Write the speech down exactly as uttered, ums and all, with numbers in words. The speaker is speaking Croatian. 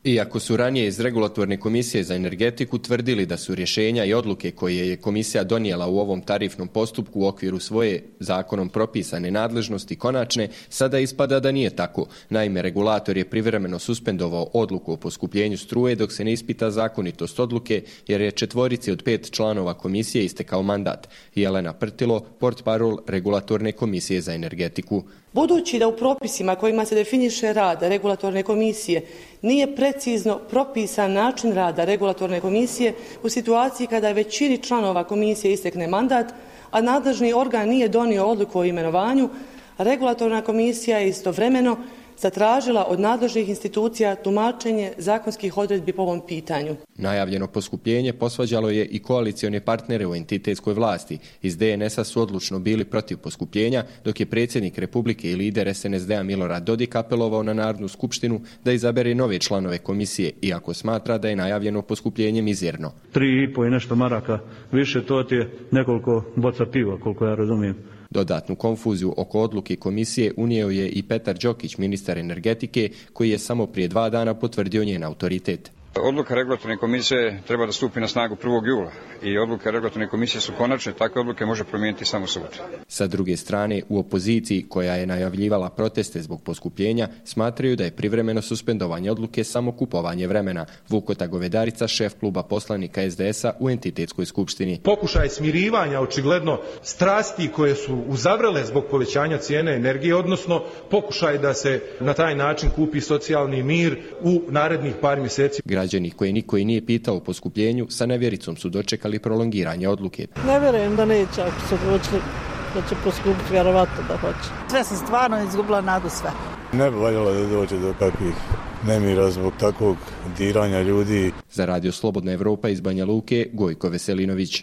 Iako su ranije iz Regulatorne komisije za energetiku tvrdili da su rješenja i odluke koje je komisija donijela u ovom tarifnom postupku u okviru svoje zakonom propisane nadležnosti konačne, sada ispada da nije tako. Naime, regulator je privremeno suspendovao odluku o poskupljenju struje dok se ne ispita zakonitost odluke, jer je četvorici od pet članova komisije istekao mandat. Jelena Prtilo, portparol Regulatorne komisije za energetiku. Budući da u propisima kojima se definiše rad Regulatorne komisije nije precizno propisan način rada Regulatorne komisije u situaciji kada je većini članova komisije istekne mandat, a nadležni organ nije donio odluku o imenovanju, Regulatorna komisija je istovremeno zatražila od nadležnih institucija tumačenje zakonskih odredbi po ovom pitanju. Najavljeno poskupljenje posvađalo je i koalicione partnere u entitetskoj vlasti. Iz D N S-a su odlučno bili protiv poskupljenja, dok je predsjednik Republike i lider S N S D-a Milorad Dodik apelovao na Narodnu skupštinu da izabere nove članove komisije, iako smatra da je najavljeno poskupljenje mizerno. Tri i po i nešto maraka više, to ti je nekoliko boca piva, koliko ja razumijem. Dodatnu konfuziju oko odluke komisije unio je i Petar Đokić, ministar energetike, koji je samo prije dva dana potvrdio njen autoritet. Odluka Regulatorne komisije treba da stupi na snagu prvog jula i odluke Regulatorne komisije su konačne, takve odluke može promijeniti samo sud. Sa druge strane, u opoziciji koja je najavljivala proteste zbog poskupljenja, smatraju da je privremeno suspendovanje odluke samo kupovanje vremena. Vukota Govedarica, šef kluba poslanika S D S-a u entitetskoj skupštini. Pokušaj smirivanja očigledno strasti koje su uzavrele zbog povećanja cijene energije, odnosno pokušaj da se na taj način kupi socijalni mir u narednih par mjeseci. Građani koje niko i nije pitao o poskupljenju sa nevjericom su dočekali prolongiranje odluke. Ne vjerujem da neće, ako su odlučili da će poskupiti, vjerovatno da hoće. Sve sam stvarno izgubila nadu sve. Ne bi valjalo da dođe do kakvih nemira zbog takvog diranja ljudi. Za Radio Slobodna Evropa iz Banja Luke, Gojko Veselinović.